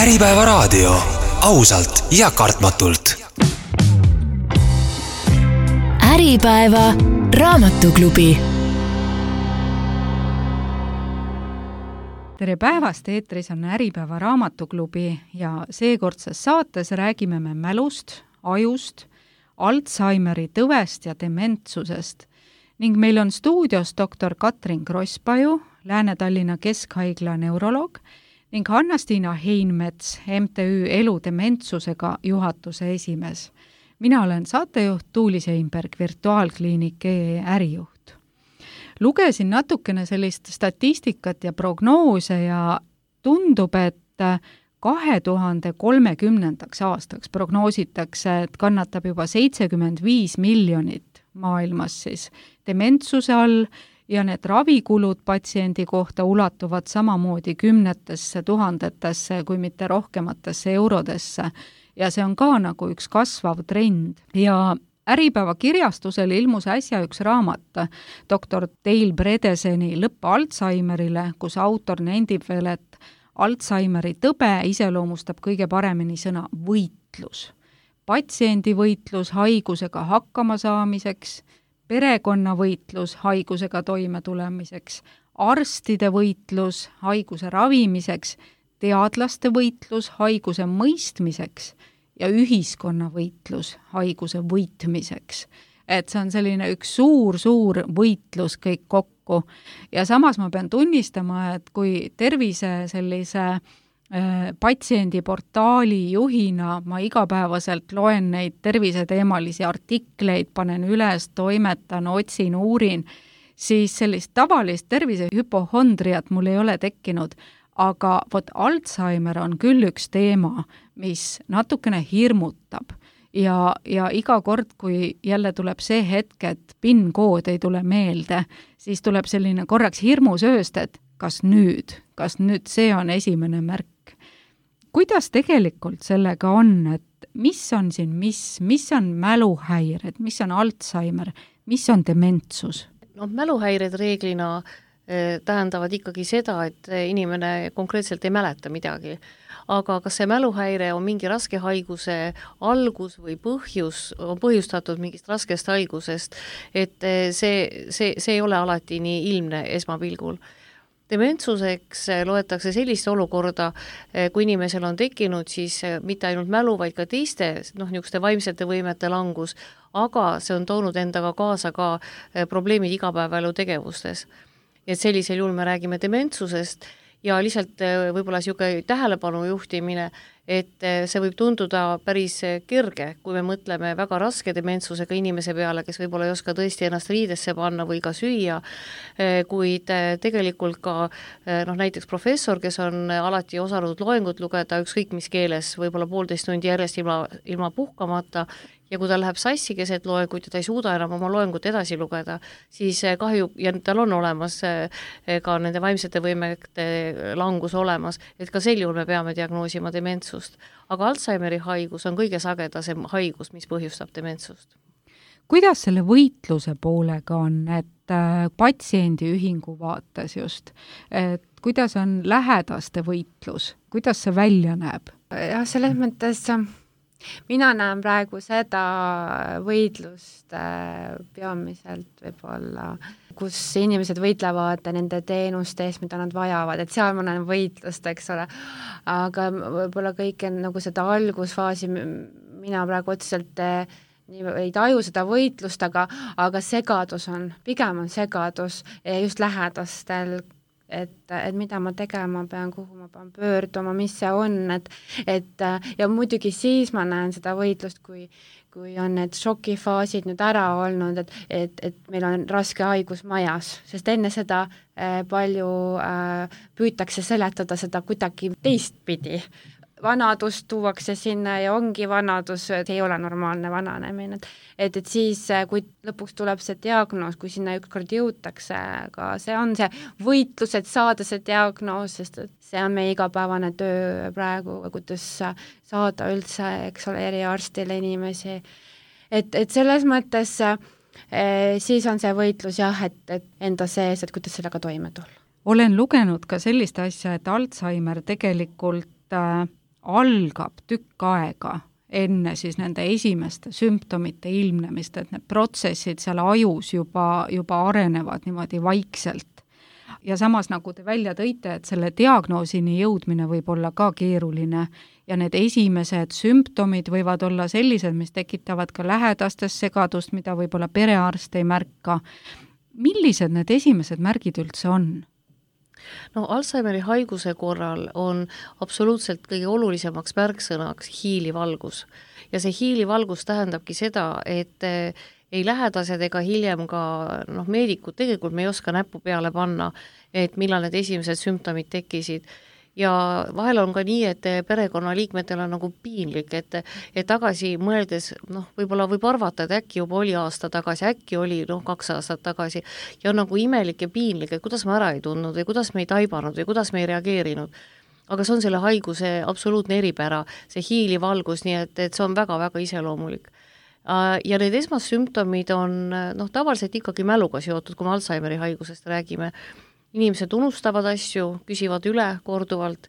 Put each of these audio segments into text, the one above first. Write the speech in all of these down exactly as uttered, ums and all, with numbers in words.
Äripäeva raadio, ausalt ja kartmatult. Äripäeva raamatuklubi. Tere päevast, eetris on Äripäeva raamatuklubi ja seekordses saates räägime me mälust, ajust, Alzheimeri tõvest ja dementsusest ning meil on stuudios doktor Katrin Krosspaju, Lääne-Tallinna Keskhaigla neuroloog ning Hanna-Stiina Heinmets, M T Ü Elu dementsusega juhatuse esimees. Mina olen saatejuht Tuuli Seinberg, virtuaalkliinik E E ärijuht. Lugesin natukene sellist statistikat ja prognoose ja tundub, et kahe tuhande kolmekümnendaks aastaks prognoositakse, et kannatab juba seitsekümmend viis miljonit maailmas siis dementsuse all ja need ravikulud patsiendi kohta ulatuvad samamoodi kümnetesse tuhandetesse kui mitte rohkematesse eurodesse ja see on ka nagu üks kasvav trend. Ja Äripäeva kirjastusel ilmus äsja üks raamat doktor Dale Bredeseni Lõpp Alzheimerile, kus autor nendib veel, et Alzheimeri tõbe iseloomustab kõige paremini sõna võitlus. Patsiendi võitlus haigusega hakkama saamiseks, perekonna võitlus haigusega toimetulemiseks, arstide võitlus haiguse ravimiseks, teadlaste võitlus haiguse mõistmiseks ja ühiskonna võitlus haiguse võitmiseks. Et see on selline üks suur-suur võitlus kõik kokku. Ja samas ma pean tunnistama, et kui tervise sellise äh, patsiendiportaali juhina ma igapäevaselt loen neid terviseteemalisi artikleid, panen üles, toimetan, otsin, uurin, siis sellist tavalist tervisehüpohondriat mul ei ole tekkinud. Aga vot Alzheimer on küll üks teema, mis natukene hirmutab ja, ja iga kord, kui jälle tuleb see hetk, et PIN-kood ei tule meelde, siis tuleb selline korraks hirmusööst, et kas nüüd, kas nüüd see on esimene märk. Kuidas tegelikult sellega on, et mis on siin, mis, mis on mäluhäired, mis on Alzheimer, mis on dementsus? No, mäluhäired reeglina tähendavad ikkagi seda, et inimene konkreetselt ei mäleta midagi. Aga kas see mäluhäire on mingi raske haiguse algus või põhjus, on põhjustatud mingist raskest haigusest, et see, see, see ei ole alati nii ilmne esmapilgul. Dementsuseks loetakse sellist olukorda, kui inimesel on tekkinud siis mitte ainult mälu, vaid ka teiste noh, niisuguste vaimsete võimete langus, aga see on toonud endaga kaasa ka probleemid igapäevaelu tegevustes. Et sellisel juhul me räägime dementsusest ja lihtsalt võib-olla niisugune tähelepanu juhtimine, et see võib tunduda päris kerge, kui me mõtleme väga raske dementsusega inimese peale, kes võib-olla ei oska tõesti ennast riidesse panna või ka süüa, kuid tegelikult ka noh, näiteks professor, kes on alati osanud loengut lugeda ükskõik mis keeles, võib-olla poolteist tundi järjest ilma, ilma puhkamata, ja kui ta läheb sassi keset loengut ja ta ei suuda enam oma loengut edasi lugeda, siis kahju, ja tal on olemas ka nende vaimsete võimete langus olemas, et ka sel juhul me peame diagnoosima dementsust. Aga Alzheimeri haigus on kõige sagedasem haigus, mis põhjustab dementsust. Kuidas selle võitluse poolega on, et patsiendiühingu vaates just, et kuidas on lähedaste võitlus, kuidas see välja näeb? Ja selles mõttes mina näen praegu seda võitlust peamiselt võib-olla, kus inimesed võitlevad nende teenuste eest, mida nad vajavad, et seal ma näen võitlust, eks ole. Aga võib-olla kõik nagu seda algusfaasi mina praegu otseselt ei taju seda võitlust, aga, aga segadus on, pigem on segadus just lähedastel, et, et mida ma tegema pean, kuhu ma pean pöörduma, mis see on, et, et ja muidugi siis ma näen seda võitlust, kui, kui on need šokifaasid nüüd ära olnud, et, et, et meil on raske haigus majas, sest enne seda äh, palju äh, püütakse seletada seda kuidagi teistpidi. Vanadus tuuakse sinna ja ongi vanadus, see ei ole normaalne vananemine. Et, et siis, kui lõpuks tuleb see diagnoos, kui sinna ükskord jõutakse, aga see on see võitlus, et saada see diagnoos, sest see on meie igapäevane töö praegu, kuidas saada üldse, eks ole, eriarstile inimesi. Et, et selles mõttes e, siis on see võitlus jah, et, et enda sees, et kuidas sellega toime tulla. Olen lugenud ka sellist asja, et Alzheimer tegelikult äh, algab tükk aega enne siis nende esimeste sümptomite ilmnemist, et need protsessid seal ajus juba, juba arenevad niimoodi vaikselt. Ja samas, nagu te välja tõite, et selle diagnoosini jõudmine võib olla ka keeruline ja need esimesed sümptomid võivad olla sellised, mis tekitavad ka lähedastes segadust, mida võib-olla perearst ei märka. Millised need esimesed märgid üldse on? No Alzheimeri haiguse korral on absoluutselt kõige olulisemaks märksõnaks hiilivalgus. Ja see hiilivalgus tähendabki seda, et ei lähedased ega hiljem ka noh, meedikud, tegelikult me ei oska näppu peale panna, et millal need esimesed sümptomid tekkisid. Ja vahel on ka nii, et perekonnaliikmetel on nagu piinlik, et, et tagasi mõeldes, noh, võib-olla võib arvata, et äkki juba oli aasta tagasi, äkki oli noh, kaks aastat tagasi ja on nagu imelik ja piinlik, et kuidas me ära ei tundnud või kuidas me ei taibanud või kuidas me ei reageerinud. Aga see on selle haiguse absoluutne eripära, see hiilivalgus, nii et, et see on väga-väga iseloomulik. Ja need esmassümptomid on noh, tavaliselt ikkagi mäluga seotud, kui me Alzheimeri haigusest räägime. Inimesed unustavad asju, küsivad üle korduvalt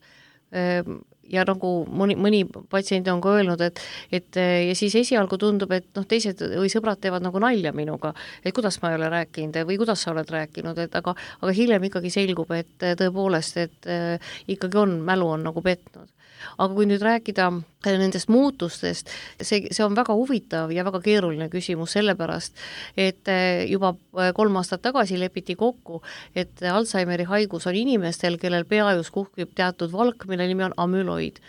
ja nagu mõni, mõni patsient on ka öelnud, et, et ja siis esialgu tundub, et noh, teised või sõbrad teevad nagu nalja minuga, et kuidas ma ei ole rääkinud või kuidas sa oled rääkinud, et aga, aga hiljem ikkagi selgub, et tõepoolest, et ikkagi on, mälu on nagu petnud. Aga kui nüüd rääkida nendest muutustest, see, see on väga huvitav ja väga keeruline küsimus sellepärast, et juba kolm aastat tagasi lepiti kokku, et Alzheimeri haigus on inimestel, kellel peaajus kuhkib teatud valk, mille nimi on amüloid.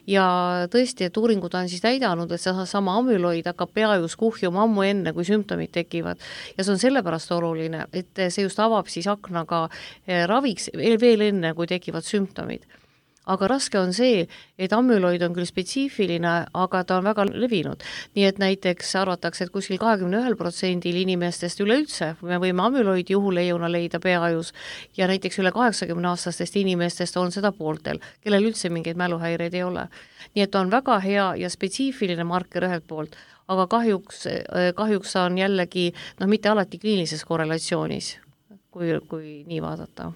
Ja tõesti, et uuringud on siis näidanud, et see sama amüloid hakkab peaajus kuhjuma ammu enne, kui sümptomid tekivad. Ja see on sellepärast oluline, et see just avab siis aknaga raviks veel enne, kui tekivad sümptomid. Aga raske on see, et amüloid on küll spetsiifiline, aga ta on väga levinud. Nii et näiteks arvatakse, et kuskil kakskümmend üks protsendil inimestest üleüldse me võime amüloidi juhuleiuna leida peaajus ja näiteks üle kaheksakümne aastastest inimestest on seda pooltel, kellel üldse mingeid mäluhäireid ei ole. Nii et on väga hea ja spetsiifiline marker ühelt poolt, aga kahjuks, kahjuks on jällegi noh, mitte alati kliinilises korrelatsioonis, kui, kui nii vaadata.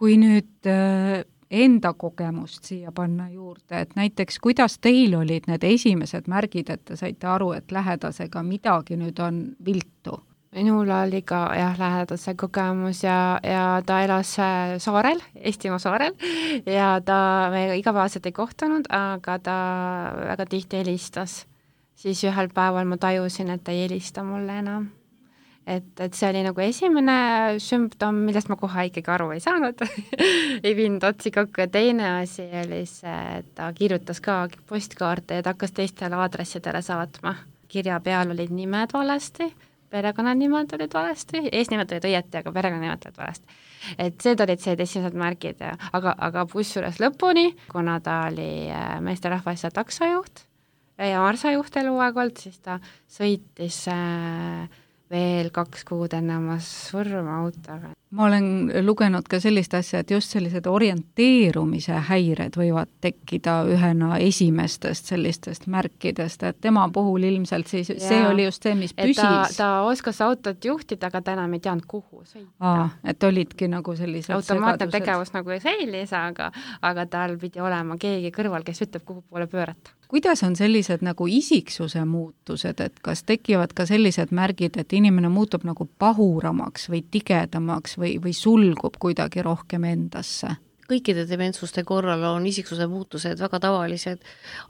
Kui nüüd enda kogemust siia panna juurde, et näiteks kuidas teil olid need esimesed märgid, et te saite aru, et lähedasega midagi nüüd on viltu? Minul oli ka jah, lähedase kogemus ja, ja ta elas saarel, Eestimaa saarel ja ta me igapäevaselt ei kohtunud, aga ta väga tihti helistas. Siis ühel päeval ma tajusin, et ta ei helista mulle enam. Et, et see oli nagu esimene sümptom, millest ma kohe ikkagi aru ei saanud ei viinud otsi kokku ja teine asi oli see, et ta kirjutas ka postkaarte ja ta hakkas teistele aadressidele saatma. Kirja peal olid nimed valesti, perekonnanimed olid valesti, eesnimed olid õieti, aga perekonnanimed olid valesti. Et see olid see esimesed märgid, aga, aga bussures lõpuni, kuna ta oli meesterahvas ja taksojuht ja marsajuht eluaeg olnud, siis ta sõitis äh, veel kaks kuud enne oma surma autoga. Ma olen lugenud ka sellist asja, et just sellised orienteerumise häired võivad tekkida ühena esimestest sellistest märkidest, et tema puhul ilmselt siis ja, see oli just see, mis püsis. Ta, ta oskas autot juhtida, aga ta enam ei teadnud, kuhu sõita. Aa, et olidki nagu sellised automaatne tegevus nagu säilis, aga, aga tal pidi olema keegi kõrval, kes ütleb, kuhu poole pöörata. Kuidas on sellised nagu isiksuse muutused, et kas tekivad ka sellised märgid, et inimene muutub nagu pahuramaks või tigedamaks või, või sulgub kuidagi rohkem endasse? Kõikide dementsuste korral on isiksuse muutused väga tavalised,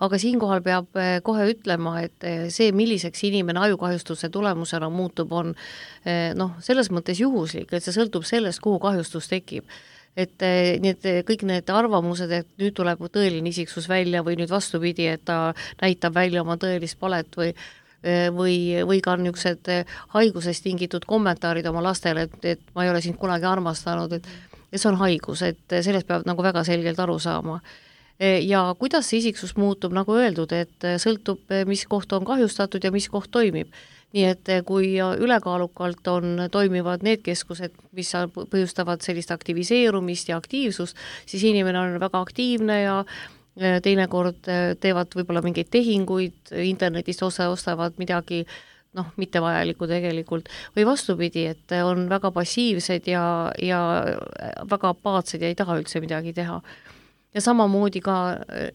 aga siinkohal peab kohe ütlema, et see, milliseks inimene ajukahjustuse tulemusena muutub, on noh, selles mõttes juhuslik, et see sõltub sellest, kuhu kahjustus tekib. Et need, kõik need arvamused, et nüüd tuleb tõeline isiksus välja või nüüd vastupidi, et ta näitab välja oma tõelist palet või või, või ka niisugused haigusest tingitud kommentaarid oma lastele, et, et ma ei ole sind kunagi armastanud, et, et see on haigus, et sellest peab nagu väga selgelt aru saama. Ja kuidas see isiksus muutub, nagu öeldud, et sõltub, mis koht on kahjustatud ja mis koht toimib. Nii et kui ülekaalukalt on, toimivad need keskused, mis põhjustavad sellist aktiviseerumist ja aktiivsust, siis inimene on väga aktiivne ja teinekord teevad võib-olla mingeid tehinguid, internetist osa ostavad midagi noh, mittevajalikku tegelikult, või vastupidi, et on väga passiivsed ja, ja väga apaatsed ja ei taha üldse midagi teha. ja samamoodi ka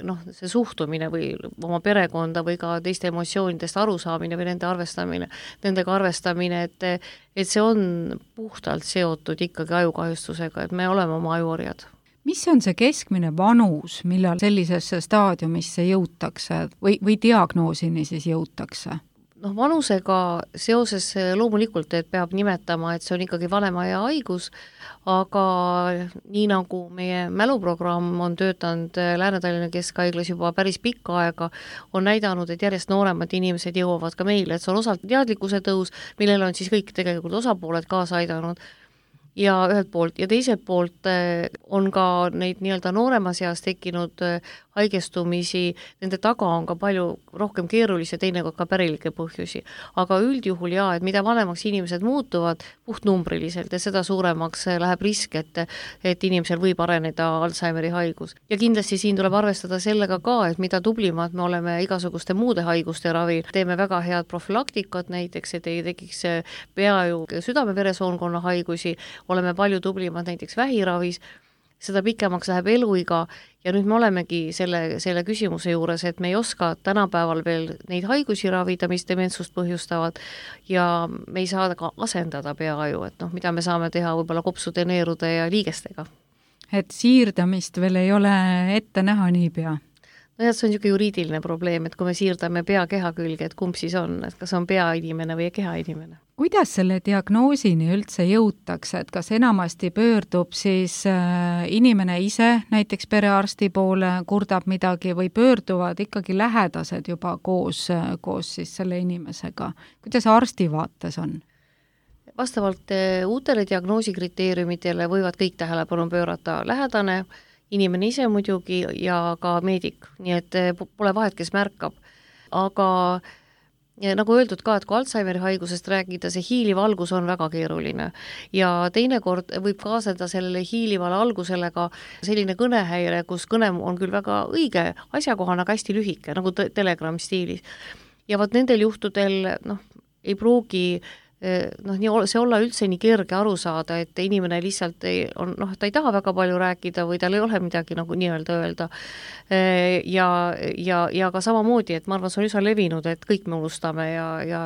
noh, see suhtumine või oma perekonda või ka teiste emotsioonidest arusaamine või nende arvestamine, nendega arvestamine, et, et see on puhtalt seotud ikkagi ajukahjustusega, et me oleme oma ajuorjad. Mis on see keskmine vanus, millal sellisesse staadiumisse jõutakse või, või diagnoosini siis jõutakse? Noh, vanusega seoses loomulikult, et peab nimetama, et see on ikkagi vanemaea haigus, aga nii nagu meie mäluprogramm on töötanud Lääne-Tallinna Keskhaiglas juba päris pikka aega, on näidanud, et järjest nooremad inimesed jõuavad ka meile, et see on osalt teadlikkuse tõus, millele on siis kõik tegelikult osapooled kaasa aidanud, ja ühelt poolt ja teiselt poolt on ka neid nii-öelda nooremas eas tekkinud haigestumisi, nende taga on ka palju rohkem keerulisi ja teinekord ka pärilikke põhjusi. Aga üldjuhul jaa, et mida vanemaks inimesed muutuvad puhtnumbriliselt ja seda suuremaks läheb risk, et, et inimesel võib areneda Alzheimeri haigus. Ja kindlasti siin tuleb arvestada sellega ka, et mida tublimad me oleme igasuguste muude haiguste ravil, teeme väga head profülaktikat näiteks, et ei tekiks peaju südame-veresoonkonna haigusi, oleme palju tublimad näiteks vähiravis, seda pikemaks läheb eluiga ja nüüd me olemegi selle, selle küsimuse juures, et me ei oska tänapäeval veel neid haigusi ravida, mis dementsust põhjustavad ja me ei saa ka asendada peaaju, et noh, mida me saame teha võib-olla kopsude, neerude ja liigestega. Et siirdamist veel ei ole ette näha niipea? No jah, see on niisugune juriidiline probleem, et kui me siirdame pea keha külge, et kumb siis on, et kas on peainimene või kehainimene. Kuidas selle diagnoosini üldse jõutakse, et kas enamasti pöördub siis inimene ise näiteks perearsti poole, kurdab midagi või pöörduvad ikkagi lähedased juba koos, koos siis selle inimesega? Kuidas arsti vaates on? Vastavalt uutele diagnoosikriteeriumitele võivad kõik tähelepanu pöörata lähedane, inimene ise muidugi ja ka meedik, nii et pole vahet, kes märkab. Aga ja nagu öeldud ka, et kui Alzheimeri haigusest rääkida, see hiiliv algus on väga keeruline ja teinekord võib kaasneda sellele hiilivale algusele ka selline kõnehäire, kus kõne on küll väga õige, asjakohane, aga hästi lühike, nagu Telegram stiilis. Ja vaat nendel juhtudel noh, ei pruugi noh, see olla üldse nii kerge aru saada, et inimene lihtsalt ei, on, noh, ta ei taha väga palju rääkida või tal ei ole midagi nagu nii-öelda öelda. Ja, ja, ja ka samamoodi, et ma arvan, see on üsna levinud, et kõik me unustame ja, ja,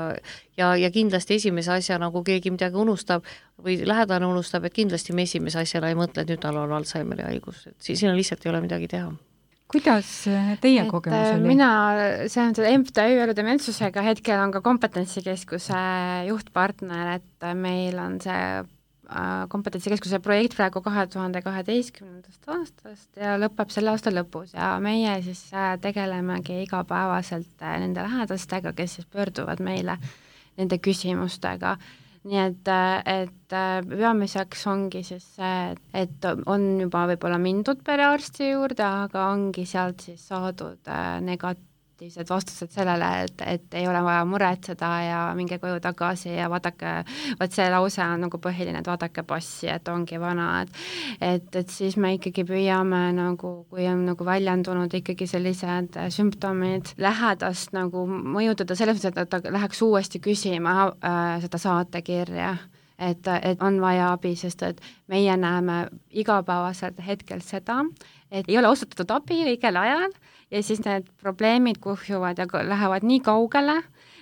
ja, ja kindlasti esimese asja, nagu keegi midagi unustab või lähedane unustab, et kindlasti me esimese asjana ei mõtle, et nüüd tal on Alzheimeri haigus, et siin lihtsalt ei ole midagi teha. Kuidas teie kogemus oli? Mina, see on M T Ü elu dementsusega, hetkel on ka kompetentsikeskuse juhtpartner, et meil on see kompetentsikeskuse projekt praegu kahe tuhande kaheteistkümnendast aastast ja lõpeb selle aasta lõpus ja meie siis tegelemegi igapäevaselt nende lähedastega, kes siis pöörduvad meile nende küsimustega. Nii et, et peamiseks ongi siis see, et on juba võib-olla mindud perearsti juurde, aga ongi sealt siis saadud negatiivsed vastused sellele, et, et ei ole vaja muretseda ja minge koju tagasi ja vaadake, vaat see lause on nagu põhiline, et vaadake passi, et ongi vana, et, et, et siis me ikkagi püüame nagu, kui on nagu väljendunud ikkagi sellised sümptomid lähedast nagu mõjutada selles mõttes, et ta läheks uuesti küsima äh, seda saatekirja, et, et on vaja abi, sest et meie näeme igapäevaselt hetkel seda, et ei ole osutatud abi õigel ajal ja siis need probleemid kuhjuvad ja lähevad nii kaugele,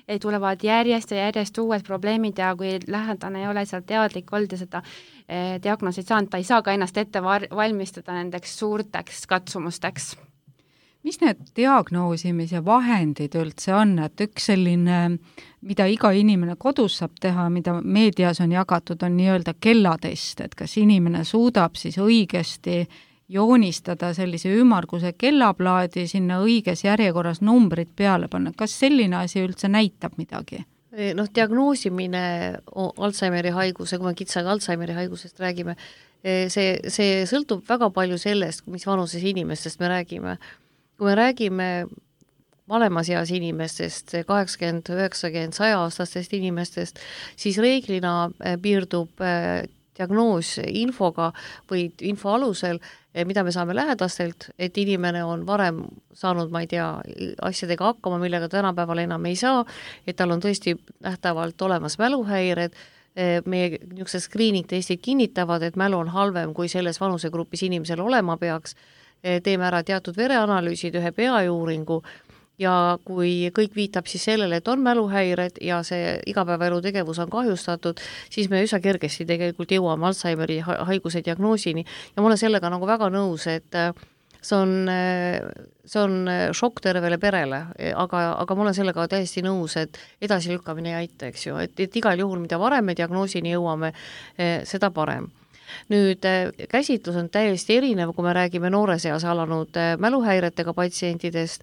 et tulevad järjest ja järjest uued probleemid ja kui lähedane ei ole seal teadlik olnud ja seda eh, diagnoosid saanud, ta ei saa ka ennast ette valmistada nendeks suurteks katsumusteks. Mis need diagnoosimise vahendid üldse on, et üks selline, mida iga inimene kodus saab teha, mida meedias on jagatud, on nii-öelda kellatest, et kas inimene suudab siis õigesti joonistada sellise ümmarguse kellaplaadi, sinna õiges järjekorras numbrid peale panna. Kas selline asi üldse näitab midagi? Noh, diagnoosimine Alzheimeri haiguse, kui me kitsaga Alzheimeri haigusest räägime, see, see sõltub väga palju sellest, mis vanuses inimestest me räägime. Kui me räägime vanemas eas inimestest, kaheksakümmend, üheksakümmend, saja aastastest inimestest, siis reeglina piirdub diagnoos infoga või info alusel, mida me saame lähedastelt, et inimene on varem saanud, ma ei tea, asjadega hakkama, millega tänapäeval enam ei saa, et tal on tõesti nähtavalt olemas mäluhäired, meie niisugused screening testid kinnitavad, et mälu on halvem, kui selles vanusegrupis inimesel olema peaks, teeme ära teatud vereanalüüsid, ühe peajuuringu ja kui kõik viitab siis sellele, et on mäluhäired ja see igapäevaelu tegevus on kahjustatud, siis me üsna kergesti tegelikult jõuame Alzheimeri haiguse diagnoosini ja ma olen sellega nagu väga nõus, et see on, see on šokk tervele perele, aga, aga ma olen sellega täiesti nõus, et edasi lükkamine ei aita, eks ju, et, et igal juhul, mida varem me diagnoosini jõuame, seda parem. Nüüd käsitlus on täiesti erinev, kui me räägime noores eas alanud mäluhäiretega patsientidest,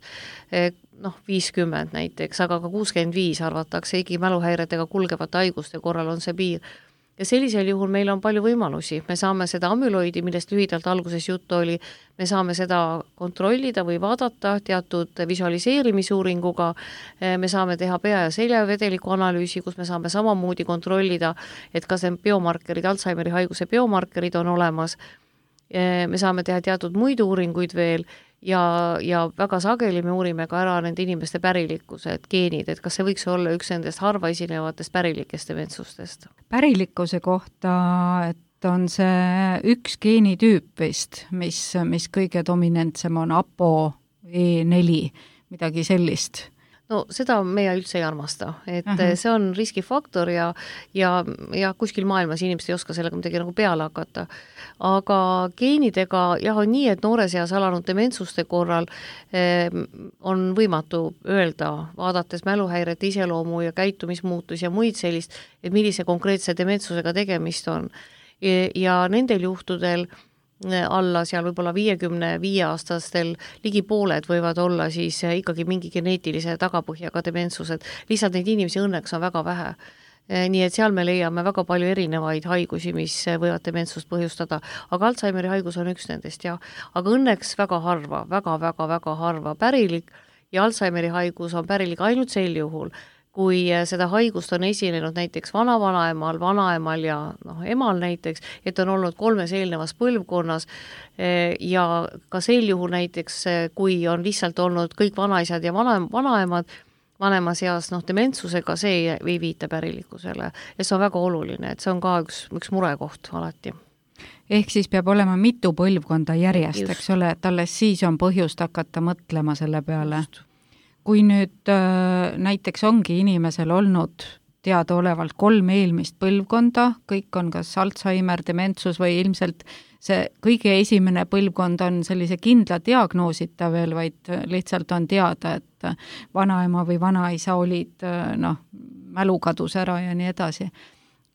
noh, viiskümmend näiteks, aga ka kuuskümmend viis arvatakse, igi mäluhäiretega kulgevate haiguste korral on see piir. Ja sellisel juhul meil on palju võimalusi, me saame seda amüloidi, millest lühidalt alguses juttu oli, me saame seda kontrollida või vaadata teatud visualiseerimisuuringuga, me saame teha pea- ja seljavedeliku analüüsi, kus me saame samamoodi kontrollida, et kas need biomarkerid, Alzheimeri haiguse biomarkerid on olemas, me saame teha teatud muid uuringuid veel ja, ja väga sageli me uurime ka ära nende inimeste pärilikkused, geenid, et kas see võiks olla üks nendest harva esinevatest pärilikest dementsustest. Pärilikkuse kohta, et on see üks geenitüüp vist, mis, mis kõige dominantsem on A P O E neli, midagi sellist. No seda meie üldse ei armasta, et uh-huh. see on riskifaktor ja, ja, ja kuskil maailmas inimesed ei oska sellega midagi nagu peale hakata. Aga geenidega jah on nii, et noores eas alanud dementsuste korral eh, on võimatu öelda, vaadates mäluhäirete iseloomu ja käitumismuutus ja muid sellist, et millise konkreetse dementsusega tegemist on. Ja, ja nendel juhtudel alla seal võib-olla viiekümne viie aastastel ligi pooled võivad olla siis ikkagi mingi geneetilise tagapõhjaga dementsused. Lihtsalt neid inimesi õnneks on väga vähe. Nii et seal me leiame väga palju erinevaid haigusi, mis võivad dementsust põhjustada. Aga Alzheimeri haigus on üks nendest, jah. Aga õnneks väga harva, väga-väga-väga harva pärilik ja Alzheimeri haigus on pärilik ainult sel juhul, kui seda haigust on esinenud näiteks vanavanaemal, vanaemal ja noh, emal näiteks, et on olnud kolmes eelnevas põlvkonnas ja ka sel juhul näiteks, kui on lihtsalt olnud kõik vanaisad ja vana, vanaemad vanemas eas noh, dementsusega, see ei, ei viita pärilikkusele. Ja see on väga oluline, et see on ka üks, üks murekoht alati. Ehk siis peab olema mitu põlvkonda järjest, Just. eks ole, et alles siis on põhjust hakata mõtlema selle peale. Just. Kui nüüd äh, näiteks ongi inimesel olnud teadaolevalt kolm eelmist põlvkonda, kõik on kas Alzheimer, dementsus või ilmselt see kõige esimene põlvkond on sellise kindla diagnoosita veel, vaid lihtsalt on teada, et vanaema või vanaisa olid, noh, mälu kadus ära ja nii edasi.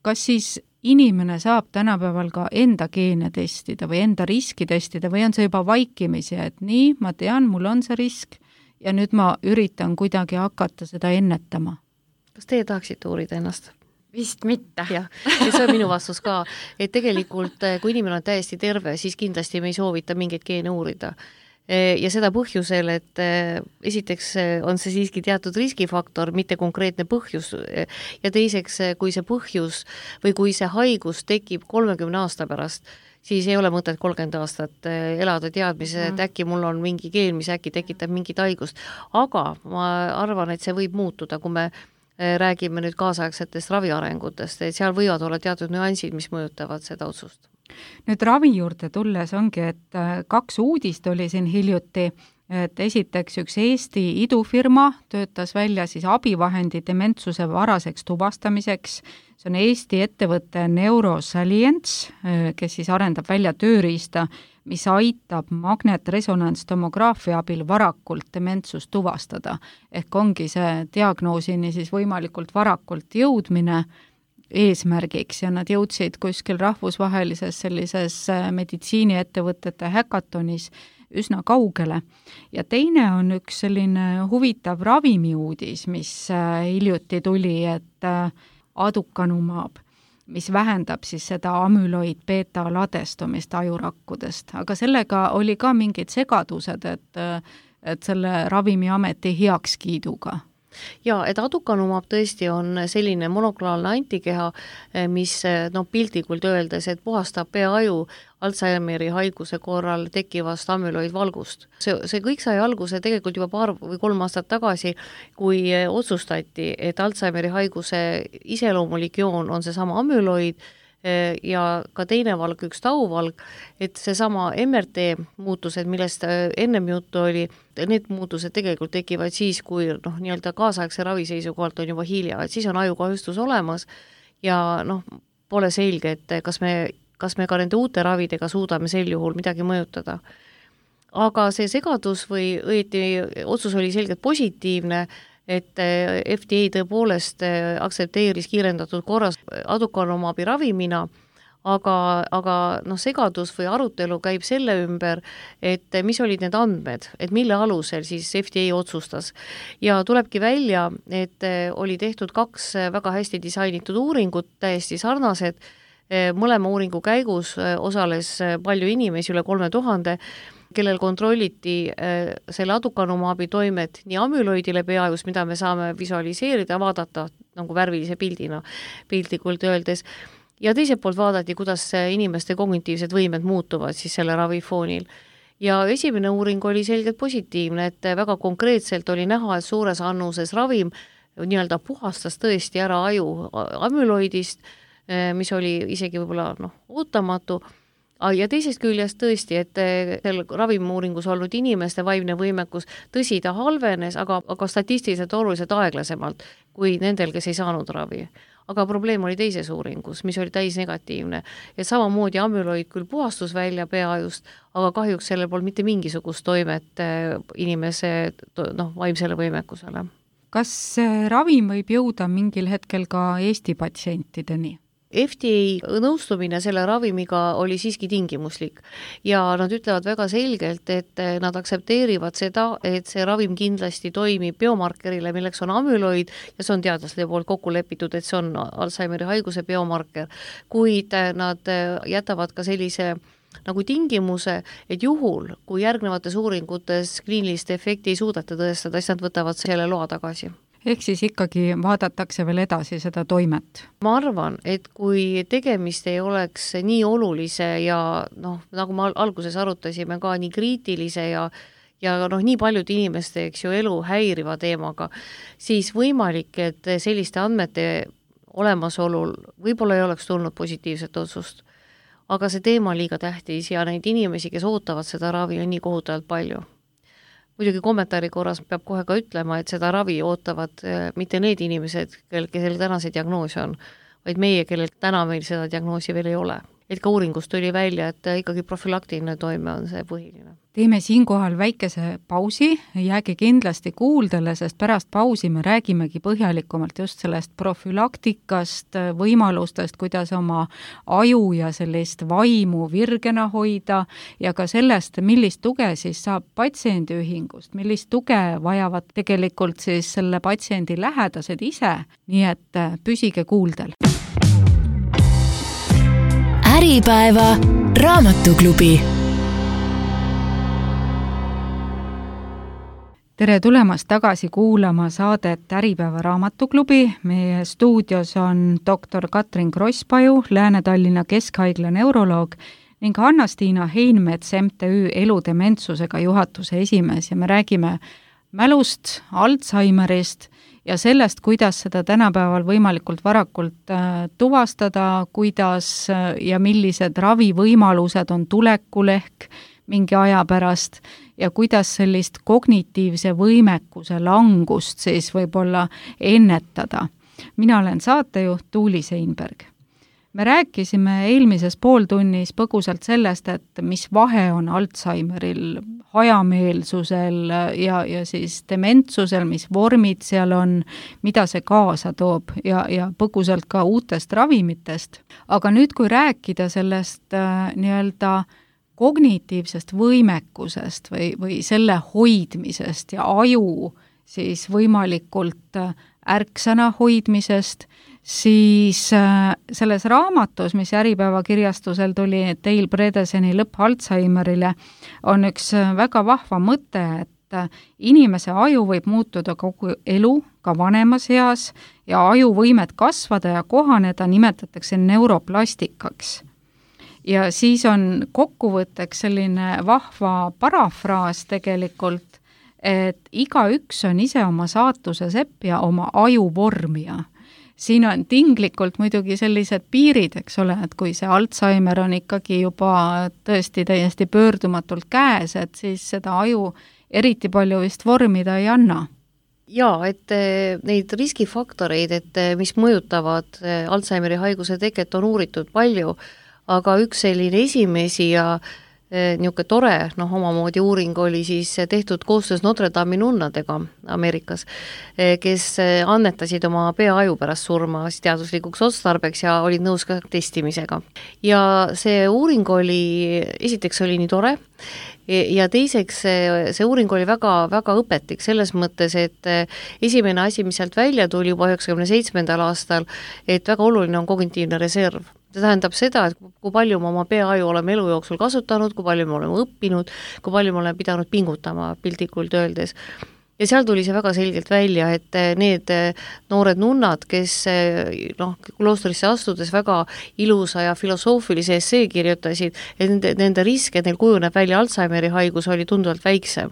Kas siis inimene saab tänapäeval ka enda geene testida või enda riski testida või on see juba vaikimisi, et nii, ma tean, mul on see risk, ja nüüd ma üritan kuidagi hakata seda ennetama. Kas teie tahaksite uurida ennast? Vist mitte. jah, ja see on minu vastus ka, et tegelikult kui inimene on täiesti terve, siis kindlasti me ei soovita mingeid geene uurida. Ja seda põhjusel, et esiteks on see siiski teatud riskifaktor, mitte konkreetne põhjus, ja teiseks, kui see põhjus või kui see haigus tekib kolmekümne aasta pärast, siis ei ole mõtet kolmkümmend aastat elada teadmise, et äkki mul on mingi geen, mis äkki tekitab mingit haigust. Aga ma arvan, et see võib muutuda, kui me räägime nüüd kaasaegsetest raviarengutest, et seal võivad olla teatud nüansid, mis mõjutavad seda otsust. Nüüd ravi juurde tulles ongi, et kaks uudist oli siin hiljuti, et esiteks üks Eesti idufirma töötas välja siis abivahendi dementsuse varaseks tuvastamiseks. See on Eesti ettevõte Neurosalience, kes siis arendab välja tööriista, mis aitab magnetresonantstomograafia abil varakult dementsust tuvastada. Ehk ongi see diagnoosini siis võimalikult varakult jõudmine eesmärgiks ja nad jõudsid kuskil rahvusvahelises sellises meditsiiniettevõtete häkatonis üsna kaugele. Ja teine on üks selline huvitav ravimiuudis, mis hiljuti tuli, et aducanumab, mis vähendab siis seda amüloid beta ladestumist ajurakkudest. Aga sellega oli ka mingid segadused, et, et selle ravimiameti heakskiiduga. Ja, et aducanumab tõesti on selline monoklonaalne antikeha, mis no, piltlikult öeldes, et puhastab peaaju Alzheimeri haiguse korral tekkivast amüloidvalgust. See, see kõik sai alguse tegelikult juba paar või kolm aastat tagasi, kui otsustati, et Alzheimeri haiguse iseloomulik joon on see sama amüloid, ja ka teine valg, üks tauvalg, et seesama M R T muutused, millest ennem juttu oli, need muutused tegelikult tekivad siis, kui noh, nii-öelda kaasaegse ravi seisukohalt on juba hilja, et siis on ajukahjustus olemas ja noh, pole selge, et kas me, kas me ka nende uute ravidega suudame sel juhul midagi mõjutada. Aga see segadus või õieti otsus oli selgelt positiivne, et F D A tõepoolest aktsepteeris kiirendatud korras aducanumaabi ravimina, aga, aga noh, segadus või arutelu käib selle ümber, et mis olid need andmed, et mille alusel siis F D A otsustas. Ja tulebki välja, et oli tehtud kaks väga hästi disainitud uuringut, täiesti sarnased, mõlema uuringu käigus osales palju inimesi, üle kolme tuhande, kellel kontrolliti äh, selle aducanumaabi toimet nii amüloidile peaajus, mida me saame visualiseerida, vaadata nagu värvilise pildina, piltlikult öeldes, ja teiselt poolt vaadati, kuidas inimeste kognitiivsed võimed muutuvad siis selle ravifoonil. Ja esimene uuring oli selgelt positiivne, et väga konkreetselt oli näha, et suures annuses ravim nii-öelda puhastas tõesti ära aju amüloidist, mis oli isegi võib-olla noh, ootamatu, ja teisest küljest tõesti, et seal ravimiuuringus olnud inimeste vaimne võimekus, tõsi, ta halvenes, aga, aga statistiliselt oluliselt aeglasemalt kui nendel, kes ei saanud ravi. Aga probleem oli teises uuringus, mis oli täis negatiivne. Et samamoodi amüloid küll puhastus välja peaajust, aga kahjuks sellel pole mitte mingisugust toimet inimese noh, vaimsele võimekusele. Kas ravim võib jõuda mingil hetkel ka Eesti patsientideni? F D A nõustumine selle ravimiga oli siiski tingimuslik ja nad ütlevad väga selgelt, et nad aktsepteerivad seda, et see ravim kindlasti toimib biomarkerile, milleks on amüloid ja see on teadlaste poolt kokku lepitud, et see on Alzheimeri haiguse biomarker, kuid nad jätavad ka sellise nagu tingimuse, et juhul, kui järgnevates uuringutes kliinilist efekti ei suudeta tõestada, siis nad võtavad selle loa tagasi. Ehk siis ikkagi vaadatakse veel edasi seda toimet? Ma arvan, et kui tegemist ei oleks nii olulise ja noh, nagu me alguses arutasime ka nii kriitilise ja ja noh, nii paljude inimeste, eks ju, elu häiriva teemaga, siis võimalik, et selliste andmete olemasolul võib-olla ei oleks tulnud positiivset otsust. Aga see teema on liiga tähtis ja neid inimesi, kes ootavad seda ravi, on nii kohutavalt palju. Muidugi kommentaari korras peab kohe ka ütlema, et seda ravi ootavad mitte need inimesed, kel, kellel täna see diagnoos on, vaid meie, kellel täna meil seda diagnoosi veel ei ole. Et ka uuringust tuli välja, et ikkagi profülaktiline toime on see põhiline. Teeme siinkohal väikese pausi, jääge kindlasti kuuldele, sest pärast pausi me räägimegi põhjalikumalt just sellest profülaktikast, võimalustest, kuidas oma aju ja sellist vaimu virgena hoida ja ka sellest, millist tuge siis saab patsiendiühingust, millist tuge vajavad tegelikult siis selle patsiendi lähedased ise, nii et püsige kuuldel. Äripäeva raamatuklubi. Tere tulemast tagasi kuulama saadet Äripäeva raamatuklubi. Meie stuudios on doktor Katrin Krosspaju, Lääne-Tallinna Keskhaigla neuroloog ning Anna-Stiina Heinmets M T Ü eludementsusega juhatuse esimees ja me räägime mälust, Alzheimerist ja sellest, kuidas seda tänapäeval võimalikult varakult äh, tuvastada, kuidas äh, ja millised ravivõimalused on tulekul ehk mingi aja pärast ja kuidas sellist kognitiivse võimekuse langust siis võib-olla ennetada. Mina olen saatejuht Tuuli Seinberg. Me rääkisime eelmises pooltunnis põgusalt sellest, et mis vahe on Alzheimeril, hajameelsusel ja, ja siis dementsusel, mis vormid seal on, mida see kaasa toob ja, ja põgusalt ka uutest ravimitest. Aga nüüd, kui rääkida sellest äh, nii-öelda kognitiivsest võimekusest või, või selle hoidmisest ja aju siis võimalikult ärksana hoidmisest, siis selles raamatus, mis Äripäeva kirjastusel tuli Dale Bredeseni Lõpp Alzheimerile, on üks väga vahva mõte, et inimese aju võib muutuda kogu elu, ka vanemas eas, ja ajuvõimet kasvada ja kohaneda nimetatakse neuroplastikaks. Ja siis on kokkuvõtteks selline vahva parafraas tegelikult, et igaüks on ise oma saatuse sepp ja oma aju vormija. siin on tinglikult muidugi sellised piirid, eks ole, et kui see Alzheimer on ikkagi juba tõesti täiesti pöördumatult käes, et siis seda aju eriti palju vist vormida ei anna. Jaa, et neid riskifaktoreid, et mis mõjutavad Alzheimeri haiguse teket, on uuritud palju, aga üks selline esimesi ja niisugune tore, noh, omamoodi uuring oli siis tehtud koostöös Notre Dame'i nunnadega Ameerikas, kes annetasid oma peaaju pärast surma teaduslikuks otstarbeks ja olid nõus ka testimisega. Ja see uuring oli, esiteks oli nii tore, ja teiseks see, see uuring oli väga, väga õpetlik selles mõttes, et esimene asi, mis sealt välja tuli juba üheksakümne seitsmendal aastal, et väga oluline on kognitiivne reserv. See tähendab seda, et kui palju me oma peaaju oleme elu jooksul kasutanud, kui palju me oleme õppinud, kui palju me oleme pidanud pingutama piltlikult öeldes. Ja seal tuli see väga selgelt välja, et need noored nunnad, kes noh, kloostrisse astudes väga ilusa ja filosoofilise essee kirjutasid, et nende, nende risk, et neil kujuneb välja Alzheimeri haigus, oli tunduvalt väiksem.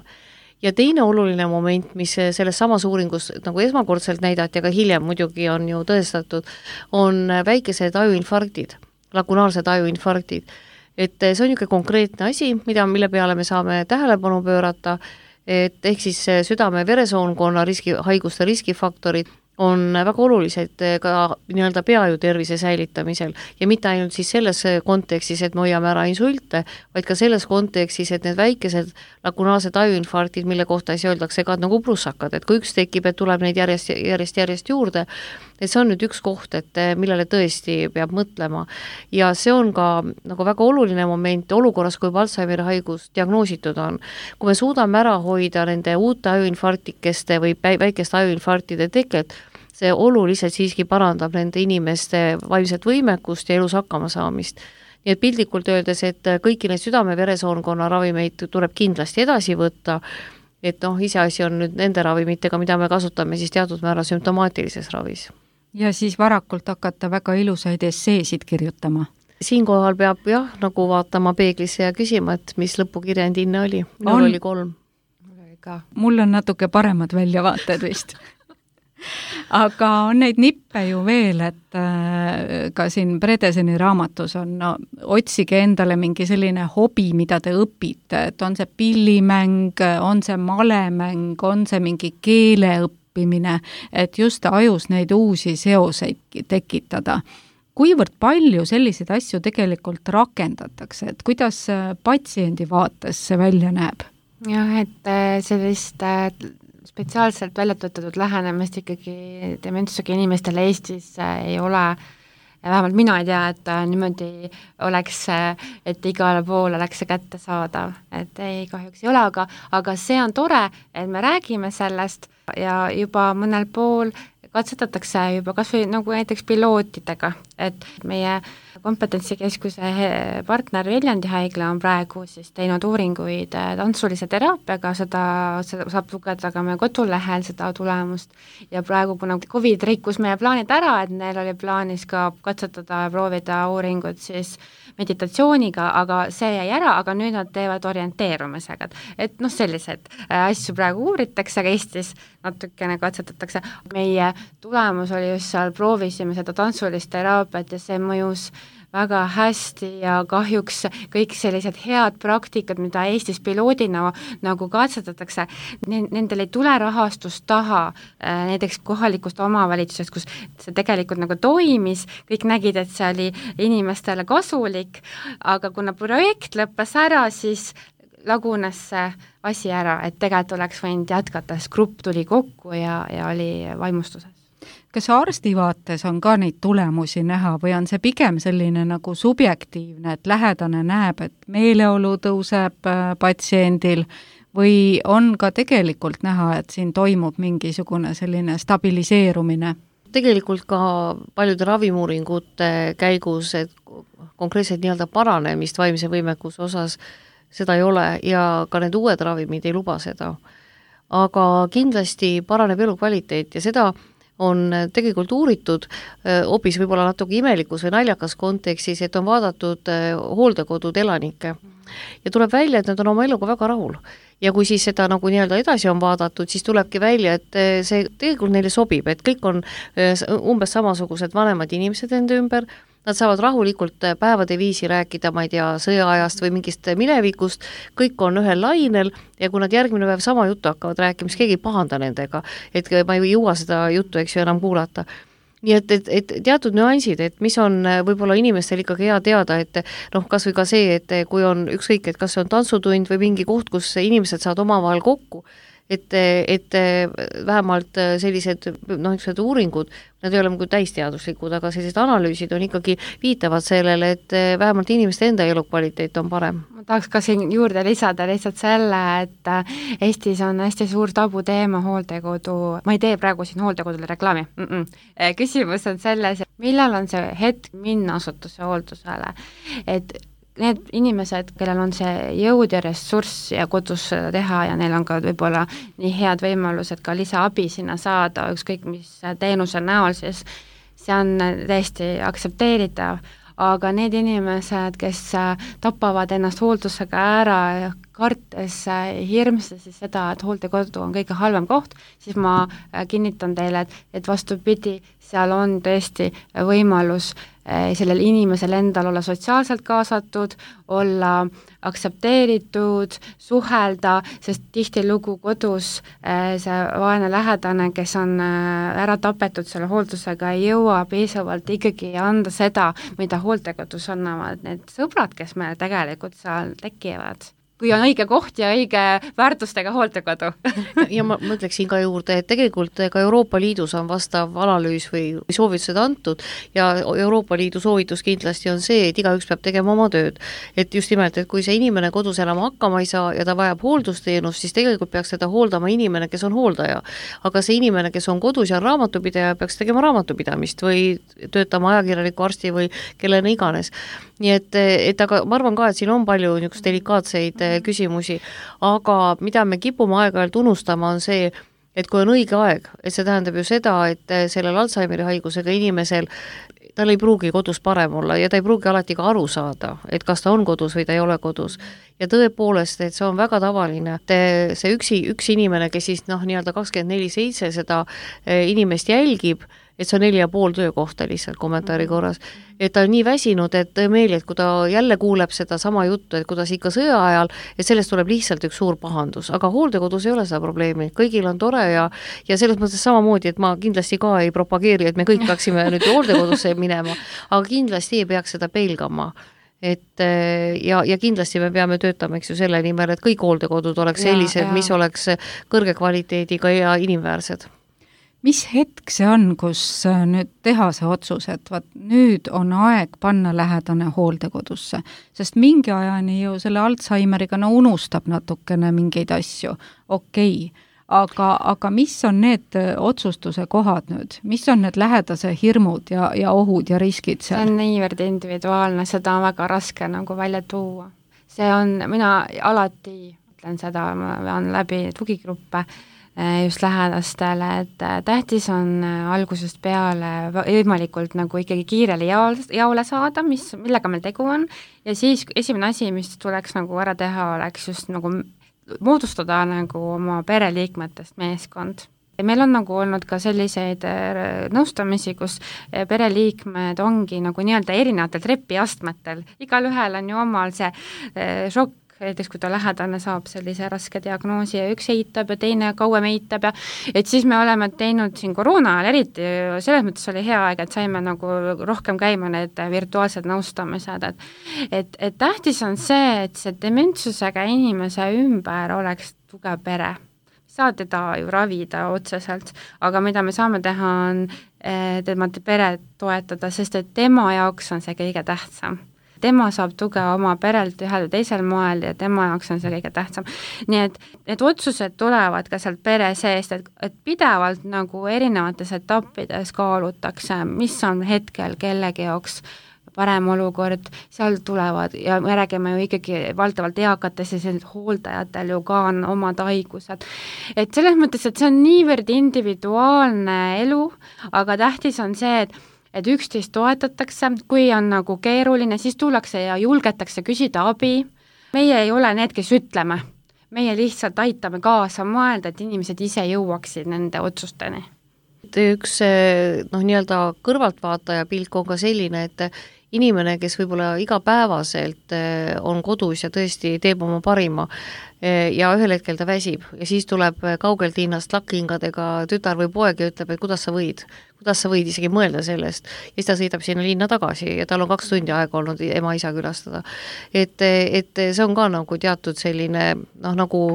Ja teine oluline moment, mis selles samas uuringus nagu esmakordselt näidati, aga hiljem muidugi on ju tõestatud, on väikesed ajuinfarktid, lagunaalsed ajuinfarktid. Et see on niisugune konkreetne asi, mida, mille peale me saame tähelepanu pöörata, et ehk siis südame-veresoonkonna riski, haiguste riskifaktorid on väga olulised ka nii-öelda peaju tervise säilitamisel ja mitte ainult siis selles kontekstis, et me hoiame ära insulte, vaid ka selles kontekstis, et need väikesed lagunaalsed ajuinfarktid, mille kohta siis öeldakse ka nagu prussakad, et kui üks tekib, et tuleb neid järjest, järjest, järjest juurde, et see on nüüd üks koht, et millele tõesti peab mõtlema. Ja see on ka nagu väga oluline moment olukorras, kui Alzheimeri haigus diagnoositud on. Kui me suudame ära hoida nende uute ajuinfarktikeste või väikeste ajuinfarktide teket, see oluliselt siiski parandab nende inimeste vaimset võimekust ja elus hakkama saamist. Nii et piltlikult öeldes, et kõiki neid südame-veresoonkonna ravimeid tuleb kindlasti edasi võtta, et noh, iseasi on nüüd nende ravimitega, mida me kasutame siis teatud määra sümptomaatilises ravis. Ja siis varakult hakata väga ilusaid esseesid kirjutama. Siinkohal peab jah, nagu vaatama peeglisse ja küsima, et mis lõpukirjand inne oli. Minul on. Oli kolm. Mul on natuke paremad väljavaated vist. Aga on neid nippe ju veel, et äh, ka siin Bredeseni raamatus on, no, otsige endale mingi selline hobi, mida te õpite, et on see pillimäng, on see malemäng, on see mingi keele õppimine, et just ajus neid uusi seoseid tekitada. Kuivõrd palju selliseid asju tegelikult rakendatakse, et kuidas patsiendi vaates see välja näeb? Jah, et sellist spetsiaalselt välja töötatud lähenemist ikkagi dementsusega inimestele Eestis ei ole, vähemalt mina ei tea, et niimoodi oleks, et igale pool oleks see kättesaadav, et ei, kahjuks ei ole, aga, aga see on tore, et me räägime sellest ja juba mõnel pool katsetatakse juba kas või nagu näiteks pilootidega, et meie kompetentsikeskuse partner Viljandi haigla on praegu siis teinud uuringuid tantsulise teraapiaga, seda, seda saab lugeda ka meie kodulehel seda tulemust ja praegu, kuna Covid rikkus meie plaanid ära, et neil oli plaanis ka katsetada ja proovida uuringut siis meditatsiooniga, aga see jäi ära, aga nüüd nad teevad orienteerumisega, et noh, sellised asju praegu uuritakse, aga Eestis natukene katsetatakse. Meie tulemus oli just seal, proovisime seda tantsulist teraapiat ja see mõjus väga hästi ja kahjuks kõik sellised head praktikad, mida Eestis piloodina nagu katsetatakse, nendel ei tule rahastust taha näiteks kohalikust omavalitsusest, kus see tegelikult nagu toimis, kõik nägid, et see oli inimestele kasulik, aga kuna projekt lõppes ära, siis lagunes see asi ära, et tegelikult oleks võinud jätkata, sest grupp tuli kokku ja, ja oli vaimustuses. Kas arsti vaates on ka neid tulemusi näha või on see pigem selline nagu subjektiivne, et lähedane näeb, et meeleolu tõuseb patsiendil või on ka tegelikult näha, et siin toimub mingisugune selline stabiliseerumine? Tegelikult ka paljude ravimuuringute käigus, et konkreetselt nii-öelda paranemist vaimse võimekuse osas seda ei ole ja ka need uued ravimid ei luba seda. Aga kindlasti paraneb elukvaliteet ja seda on tegelikult uuritud hoopis võib-olla natuke imelikus või naljakas kontekstis, et on vaadatud hooldekodud elanikke. Ja tuleb välja, et nad on oma eluga väga rahul. Ja kui siis seda nagu nii-öelda edasi on vaadatud, siis tulebki välja, et see tegelikult neile sobib, et kõik on umbes samasugused vanemad inimesed enda ümber, nad saavad rahulikult päevade viisi rääkida, ma ei tea, sõjaajast või mingist minevikust, kõik on ühel lainel ja kui nad järgmine päev sama juttu hakkavad rääkima, siis keegi ei pahanda nendega, et ma ei jõua seda juttu, eks ju, enam kuulata. Nii et, et, et teatud nüansid, et mis on võib-olla inimestel ikkagi hea teada, et noh, kas või ka see, et kui on ükskõik, et kas see on tantsutund või mingi koht, kus inimesed saavad omavahel kokku, et, et vähemalt sellised noh, sellised uuringud, nad ei ole nagu täisteaduslikud, aga sellised analüüsid on ikkagi viitavad sellele, et vähemalt inimeste enda elukvaliteet on parem. Ma tahaks ka siin juurde lisada lihtsalt selle, et Eestis on hästi suur tabuteema hooldekodu, ma ei tee praegu siin hooldekodule reklaami, Mm-mm. küsimus on selles, millal on see hetk minna asutuse hooldusele, et need inimesed, kellel on see jõud ja ressurss ja kodus seda teha ja neil on ka võib-olla nii head võimalused ka lisaabi sinna saada, ükskõik mis teenuse näol, siis see on täiesti aktsepteeritav, aga need inimesed, kes tapavad ennast hooldusega ära, kartes hirmsasi seda, et hooldekodu on kõige halvem koht, siis ma kinnitan teile, et, et vastupidi, seal on tõesti võimalus sellel inimesel endal olla sotsiaalselt kaasatud, olla aktsepteeritud, suhelda, sest tihtilugu kodus see vaene lähedane, kes on ära tapetud selle hooldusega, ei jõua piisavalt ikkagi anda seda, mida hooldekodus annavad need sõbrad, kes meil tegelikult seal tekivad. Kui on õige koht ja õige väärtustega hooldekodu. ja ma mõtleksin ka juurde, et tegelikult ka Euroopa Liidus on vastav analüüs või soovitused antud ja Euroopa Liidu soovitus kindlasti on see, et igaüks peab tegema oma tööd. Et just nimelt, et kui see inimene kodus elama hakkama ei saa ja ta vajab hooldusteenust, siis tegelikult peaks seda hooldama inimene, kes on hooldaja. Aga see inimene, kes on kodus ja on raamatupidaja, peaks tegema raamatupidamist või töötama ajakirjaniku arsti või kellena iganes. Nii et, et aga ma arvan ka, et siin on palju niisugust delikaatseid küsimusi, aga mida me kipume aeg-ajalt unustama on see, et kui on õige aeg, et see tähendab ju seda, et sellel Alzheimeri haigusega inimesel tal ei pruugi kodus parem olla ja ta ei pruugi alati ka aru saada, et kas ta on kodus või ta ei ole kodus. Ja tõepoolest, et see on väga tavaline, et see üksi, üks inimene, kes siis noh, nii-öelda kakskümmend neli seitse seda inimest jälgib, et see on neli ja pool töökohta lihtsalt kommentaari korras, et ta on nii väsinud, et tõemeeli, et kui ta jälle kuuleb seda sama juttu, et kuidas ikka sõja ajal, et sellest tuleb lihtsalt üks suur pahandus, aga hooldekodus ei ole seda probleemi, kõigil on tore ja, ja selles mõttes samamoodi, et ma kindlasti ka ei propageeri, et me kõik peaksime nüüd hooldekodusse minema, aga kindlasti ei peaks seda pelgama. Et ja, ja kindlasti me peame töötama, eks ju, selle nimel, et kõik hooldekodud oleks sellised, ja, ja. mis oleks kõrge kvaliteediga ja inimväärsed. Mis hetk see on, kus nüüd teha see otsus, et vaat nüüd on aeg panna lähedane hooldekodusse, sest mingi ajani ju selle Alzheimeriga no unustab natukene mingeid asju, okei, aga, aga mis on need otsustuse kohad nüüd, mis on need lähedase hirmud ja, ja ohud ja riskid seal? See on niivõrd individuaalne, seda on väga raske nagu välja tuua. See on, mina alati ütlen seda, ma vean läbi tugigruppe, just lähedastele, et tähtis on algusest peale võimalikult nagu ikkagi kiirele jaole saada, mis, millega meil tegu on, ja siis esimene asi, mis tuleks nagu ära teha, oleks just nagu moodustada nagu oma pereliikmetest meeskond. Ja meil on nagu olnud ka selliseid nõustamisi, kus pereliikmed ongi nagu nii-öelda erinevatel trepiastmetel, igal ühel on ju omal see šokk, näiteks kui ta lähedane saab sellise raske diagnoosi ja üks eitab ja teine kauem eitab ja et siis me oleme teinud siin koroona ajal eriti, selles mõttes oli hea aeg, et saime nagu rohkem käima need virtuaalsed nõustamised, et, et, et tähtis on see, et see dementsusega inimese ümber oleks tugev pere. Saa teda ju ravida otseselt, aga mida me saame teha on tema pere toetada, sest et tema jaoks on see kõige tähtsam. Tema saab tuge oma perelt ühel või teisel moel ja tema jaoks on see kõige tähtsam. Nii et need otsused tulevad ka sealt pere seest, et, et pidevalt nagu erinevates etappides kaalutakse, mis on hetkel kellegi jaoks parem olukord, seal tulevad ja me räägime ju ikkagi valdavalt eakates ja sellised hooldajatel ju ka on omad haigused. Et selles mõttes, et see on niivõrd individuaalne elu, aga tähtis on see, et et üksteist toetatakse, kui on nagu keeruline, siis tullakse ja julgetakse küsida abi. Meie ei ole need, kes ütleme. Meie lihtsalt aitame kaasa mõelda, et inimesed ise jõuaksid nende otsusteni. Üks noh, nii-öelda kõrvaltvaataja pilk on ka selline, et inimene, kes võib-olla igapäevaselt on kodus ja tõesti teeb oma parima ja ühel hetkel ta väsib ja siis tuleb kaugelt linnast lakkingadega tütar või poeg ja ütleb, et kuidas sa võid, kuidas sa võid isegi mõelda sellest ja siis ta sõidab sinna linna tagasi ja tal on kaks tundi aega olnud ema-isa külastada. Et, et see on ka nagu teatud selline noh, nagu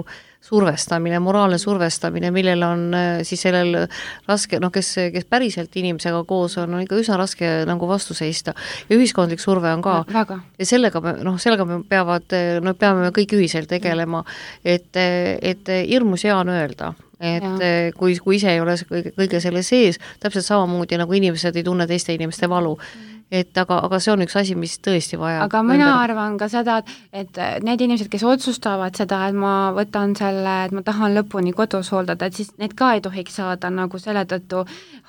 survestamine, moraalne survestamine, millel on siis sellel raske, noh, kes, kes päriselt inimesega koos on, on ikka üsna raske nagu vastu seista. Ja ühiskondlik surve on ka. Väga. Ja sellega me, noh, sellega me peavad, no peame me kõik ühiselt tegelema, et, et hirmus hea on öelda, et ja. kui, kui ise ei ole kõige, kõige selle sees, täpselt samamoodi nagu inimesed ei tunne teiste inimeste valu. Et aga, aga see on üks asi, mis tõesti vaja. Aga mina ümber... arvan ka seda, et, et need inimesed, kes otsustavad seda, et ma võtan selle, et ma tahan lõpuni kodus hooldada, et siis need ka ei tohiks saada nagu selle tõttu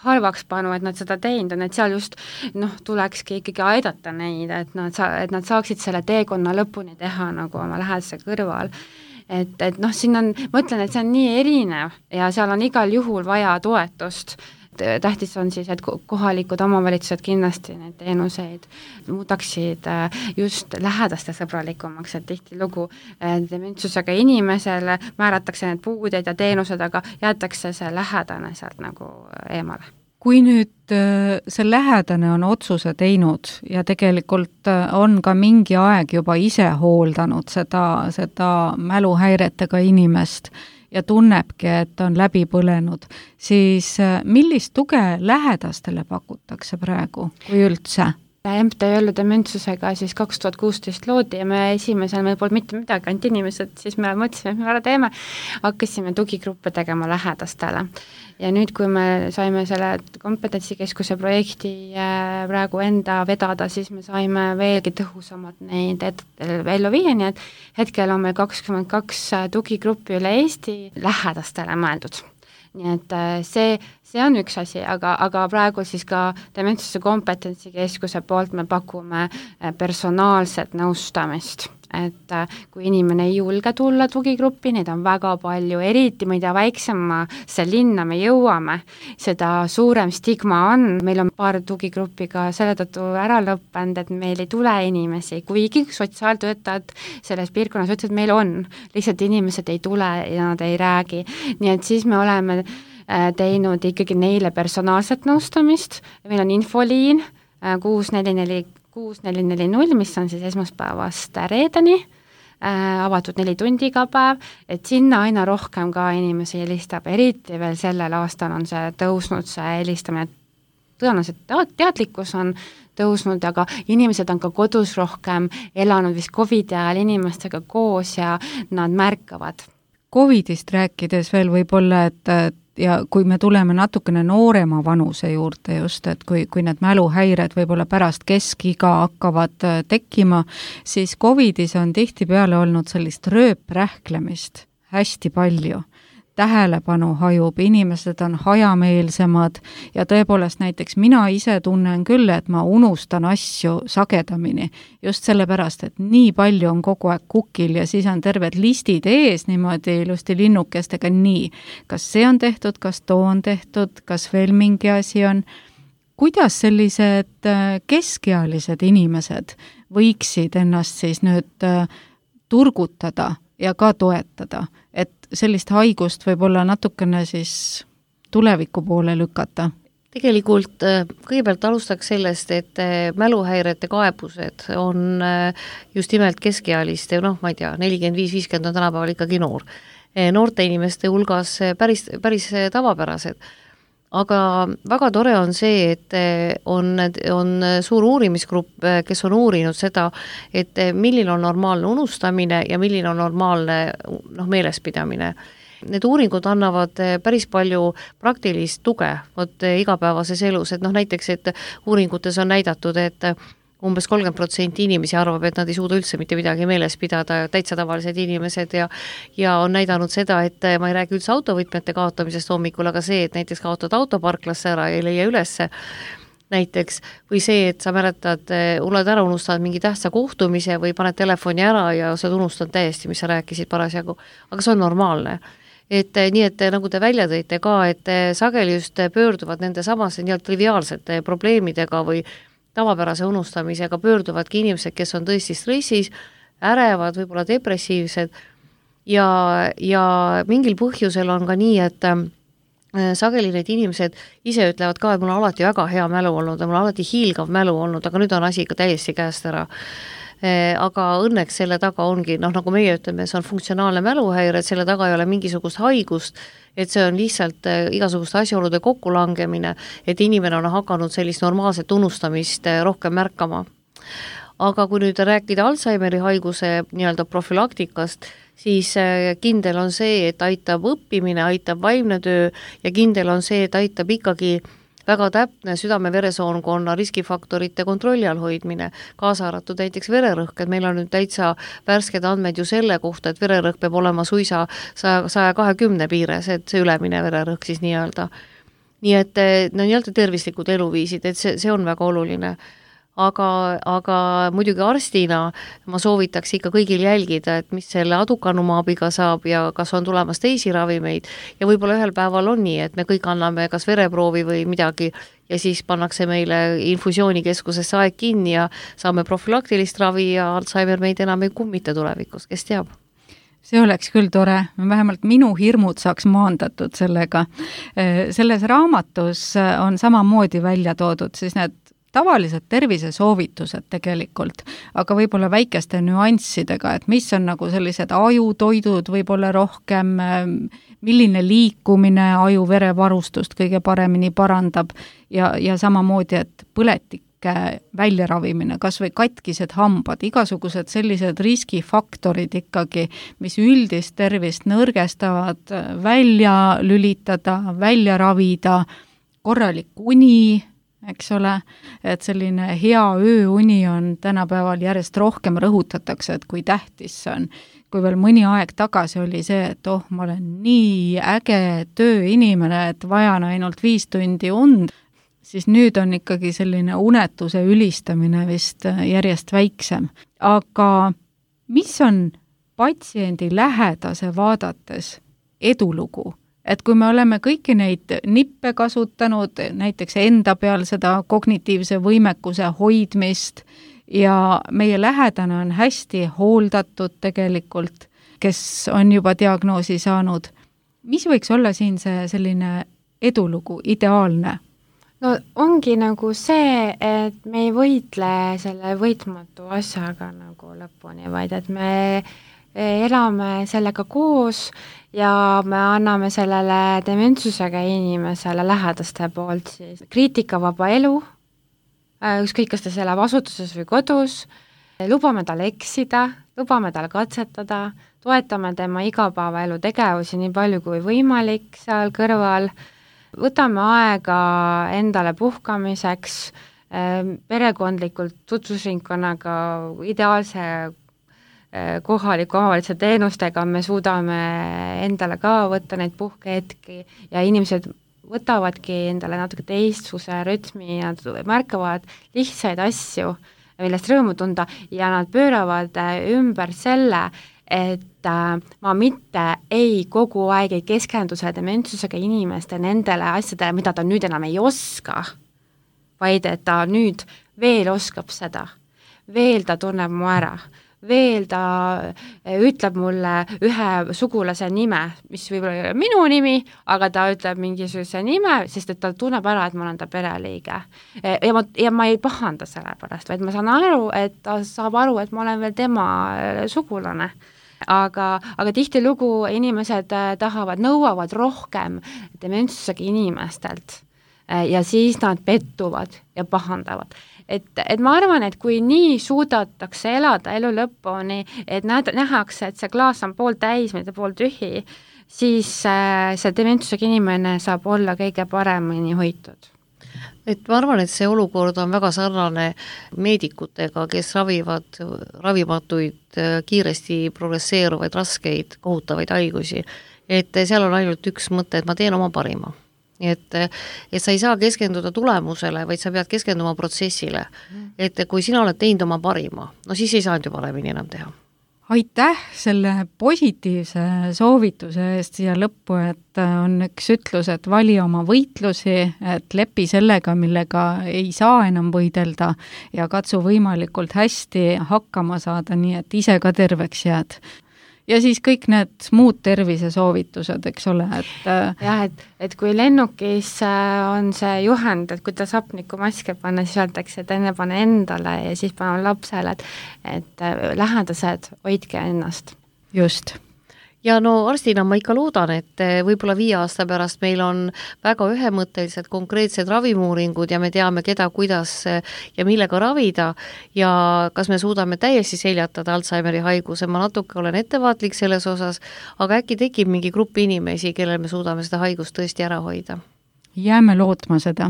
halvaks panu, et nad seda teinud on, et seal just noh, tulekski ikkagi aidata neid, et nad, sa, et nad saaksid selle teekonna lõpuni teha nagu oma lähedase kõrval. Et, et noh, siin on, ma ütlen, et see on nii erinev ja seal on igal juhul vaja toetust. Tähtis on siis, et kohalikud omavalitsused kindlasti neid teenuseid muudaksid just lähedaste sõbralikumaks, et tihti lugu dementsusega inimesele määratakse need puuded ja teenused, aga jäetakse see lähedane sealt nagu eemale. Kui nüüd see lähedane on otsuse teinud ja tegelikult on ka mingi aeg juba ise hooldanud seda, seda mäluhäiretega inimest, ja tunnebki, et on läbi põlenud, siis millist tuge lähedastele pakutakse praegu, kui üldse? M T Ö dementsusega siis kaks tuhat kuusteist loodi ja me esimesel meil polnud mitte midagi, ainult inimesed, siis me mõtlesime, et me ära teeme, hakkasime tugigruppe tegema lähedastele. Ja nüüd, kui me saime selle kompetentsikeskuse projekti praegu enda vedada, siis me saime veelgi tõhusamad neid ellu viia, nii et hetkel on meil kakskümmend kaks tugigruppi üle Eesti lähedastele mõeldud. Nii et see, see on üks asi, aga, aga praegu siis ka dementsuse kompetentsikeskuse poolt me pakume personaalset nõustamist, et kui inimene ei julge tulla tugigruppi, neid on väga palju, eriti mida väiksemasse linna me jõuame, seda suurem stigma on, meil on paar tugigruppi ka selle tõttu ära lõppenud, et meil ei tule inimesi, kuigi sotsiaaltöötajad selles piirkonnas ütlesid, et meil on, lihtsalt inimesed ei tule ja nad ei räägi, nii et siis me oleme teinud ikkagi neile personaalset nõustamist, meil on infoliin kuus neli neli kuus neli neli null, mis on siis esmaspäevast reedeni, äh, avatud neli tundi iga päev, et sinna aina rohkem ka inimesi helistab, eriti veel sellel aastal on see tõusnud, see helistamine, tõenäoliselt teadlikkus on tõusnud, aga inimesed on ka kodus rohkem elanud vist Covidi ajal inimestega koos ja nad märkavad. Covidist rääkides veel võib-olla, et ja kui me tuleme natukene noorema vanuse juurde just, et kui, kui need mäluhäired võib-olla pärast keskiga hakkavad tekkima, siis Covidis on tihtipeale olnud sellist rööprähklemist hästi palju. Tähelepanu hajub, inimesed on hajameelsemad ja tõepoolest näiteks mina ise tunnen küll, et ma unustan asju sagedamini, just sellepärast, et nii palju on kogu aeg kukil ja siis on terved listid ees niimoodi ilusti linnukestega nii, kas see on tehtud, kas too on tehtud, kas veel mingi asi on. Kuidas sellised keskealised inimesed võiksid ennast siis nüüd turgutada ja ka toetada, et sellist haigust võib-olla natukene siis tuleviku poole lükata? Tegelikult kõigepealt alustaks sellest, et mäluhäirete kaebused on just nimelt keskealiste, noh, ma ei tea, nelikümmend viis viiskümmend on tänapäeval ikkagi noor. Noorte inimeste hulgas päris, päris tavapärased. Aga väga tore on see, et on, on suur uurimisgrupp, kes on uurinud seda, et milline on normaalne unustamine ja milline on normaalne noh, meelespidamine. Need uuringud annavad päris palju praktilist tuge võt, igapäevases elus, et noh, näiteks, et uuringutes on näidatud, et umbes kolmkümmend protsenti inimesi arvab, et nad ei suuda üldse mitte midagi meeles pidada, täitsa tavalised inimesed ja ja on näidanud seda, et ma ei räägi üldse autovõtmete kaotamisest hommikul, aga see, et näiteks kaotad autoparklasse ära ja ei leia ülesse näiteks, või see, et sa mäletad, oled ära unustanud mingi tähtsa kohtumise või paned telefoni ära ja sa oled unustanud täiesti, mis sa rääkisid parasjagu, aga see on normaalne. Et nii, et nagu te välja tõite ka, et sageli just pöörduvad nende samase nii triviaalsete probleemidega või tavapärase unustamisega pöörduvadki inimesed, kes on tõesti stressis, ärevad, võib-olla depressiivsed ja, ja mingil põhjusel on ka nii, et sageli need inimesed ise ütlevad ka, et mul on alati väga hea mälu olnud ja mul on alati hiilgav mälu olnud, aga nüüd on asi ikka täiesti käest ära. Aga õnneks selle taga ongi, noh nagu meie ütleme, see on funktsionaalne mäluhäire, et selle taga ei ole mingisugust haigust, et see on lihtsalt igasuguste asjaolude kokkulangemine, et inimene on hakanud sellist normaalset unustamist rohkem märkama. Aga kui nüüd rääkida Alzheimeri haiguse nii-öelda profülaktikast, siis kindel on see, et aitab õppimine, aitab vaimne töö ja kindel on see, et aitab ikkagi väga täpne südame-veresoonkonna riskifaktorite kontrolli all hoidmine, kaasa arvatud näiteks vererõhk, et meil on nüüd täitsa värsked andmed ju selle kohta, et vererõhk peab olema suisa saja kahekümne piires, et see ülemine vererõhk siis nii-öelda. Nii et no nii-öelda tervislikud eluviisid, et see, see on väga oluline. Aga, aga muidugi arstina ma soovitaks ikka kõigil jälgida, et mis selle adukanumaabiga saab ja kas on tulemas teisi ravimeid ja võib-olla ühel päeval on nii, et me kõik anname kas vereproovi või midagi ja siis pannakse meile infusioonikeskusesse aeg kinni ja saame profülaktilist ravi ja Alzheimer meid enam ei kummita tulevikus, kes teab. See oleks küll tore, vähemalt minu hirmud saaks maandatud sellega. Selles raamatus on samamoodi välja toodud siis need tavalised tervisesoovitused tegelikult, aga võib-olla väikeste nüanssidega, et mis on nagu sellised ajutoidud võib-olla rohkem, milline liikumine aju-verevarustust kõige paremini parandab ja, ja samamoodi, et põletike väljaravimine, kas või katkised hambad, igasugused sellised riskifaktorid ikkagi, mis üldist tervist nõrgestavad, välja lülitada, välja ravida, korralik uni, eks ole, et selline hea ööuni on tänapäeval järjest rohkem rõhutatakse, et kui tähtis see on. Kui veel mõni aeg tagasi oli see, et oh, ma olen nii äge tööinimene, et vajan ainult viis tundi und, siis nüüd on ikkagi selline unetuse ülistamine vist järjest väiksem. Aga mis on patsiendi lähedase vaadates edulugu? Et kui me oleme kõiki neid nippe kasutanud, näiteks enda peal seda kognitiivse võimekuse hoidmist ja meie lähedane on hästi hooldatud tegelikult, kes on juba diagnoosi saanud, mis võiks olla siin see selline edulugu, ideaalne? No ongi nagu see, et me ei võitle selle võitmatu asjaga nagu lõpuni, vaid et me elame sellega koos ja me anname sellele dementsusega inimesele lähedaste poolt siis kriitikavaba elu, ükskõik kas ta elab asutuses või kodus, lubame tal eksida, lubame tal katsetada, toetame tema igapäevaelu tegevusi nii palju kui võimalik seal kõrval, võtame aega endale puhkamiseks, perekondlikult tutvusringkonnaga ideaalse kohaliku omavalitsuse teenustega me suudame endale ka võtta neid puhkehetki ja inimesed võtavadki endale natuke teistsuse rütmi ja märkavad lihtsaid asju, millest rõõmu tunda ja nad pööravad ümber selle, et ma mitte ei kogu aeg ei keskendu selle dementsusega inimeste nendele asjadele, mida ta nüüd enam ei oska, vaid et ta nüüd veel oskab seda, veel ta tunneb mu ära, veel ta ütleb mulle ühe sugulase nime, mis võib-olla ei ole minu nimi, aga ta ütleb mingisuguse nime, sest et ta tunneb ära, et ma olen ta pereliige. Ja ma, ja ma ei pahanda selle pärast, vaid ma saan aru, et ta saab aru, et ma olen veel tema sugulane. Aga, aga tihtilugu inimesed tahavad, nõuavad rohkem dementsusega inimestelt ja siis nad pettuvad ja pahandavad. Et, et ma arvan, et kui nii suudatakse elada elu lõpuni, et näed, nähakse, et see klaas on pool täis, mitte pool tühi, siis see dementsusega inimene saab olla kõige paremini hoitud. et ma arvan, et see olukord on väga sarnane meedikutega, kes ravivad ravimatuid, kiiresti progresseeruvaid, raskeid, kohutavaid haigusi. Et seal on ainult üks mõte, et ma teen oma parima. Et, et sa ei saa keskenduda tulemusele, vaid sa pead keskenduma protsessile. Et kui sina oled teinud oma parima, no siis ei saanud ju paremini enam teha. Aitäh selle positiivse soovituse eest siia lõppu, et on üks ütlus, et vali oma võitlusi, et lepi sellega, millega ei saa enam võidelda ja katsu võimalikult hästi hakkama saada, nii et ise ka terveks jääd. Ja siis kõik need muud tervisesoovitused, eks ole, et jah, et, et kui lennukis on see juhend, et kuidas hapnikumaske panna, siis öeldakse, et enne pane endale ja siis pane lapsele, et, et lähedased, hoidke ennast. Just. Ja no arstina ma ikka loodan, et võib-olla viie aasta pärast meil on väga ühemõttelised konkreetsed ravimuuringud ja me teame, keda, kuidas ja millega ravida ja kas me suudame täiesti seljatada Alzheimeri haiguse. Ma natuke olen ettevaatlik selles osas, aga äkki tekib mingi grupp inimesi, kellel me suudame seda haigust tõesti ära hoida. Jääme lootma seda.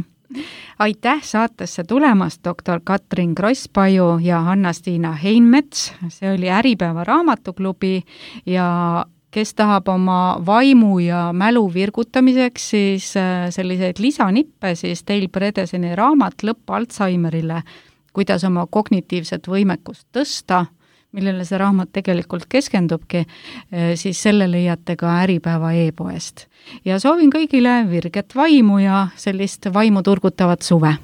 Aitäh saatesse tulemast, doktor Katrin Krosspaju ja Hanna-Stiina Heinmets. See oli Äripäeva raamatuklubi ja kes tahab oma vaimu ja mälu virgutamiseks, siis selliseid lisanippe, siis Teil Predeseni raamat Lõpp Alzheimerile, kuidas oma kognitiivset võimekust tõsta, millele see raamat tegelikult keskendubki, siis selle leiate ka Äripäeva e-poest. Ja soovin kõigile virget vaimu ja sellist vaimu turgutavat suve.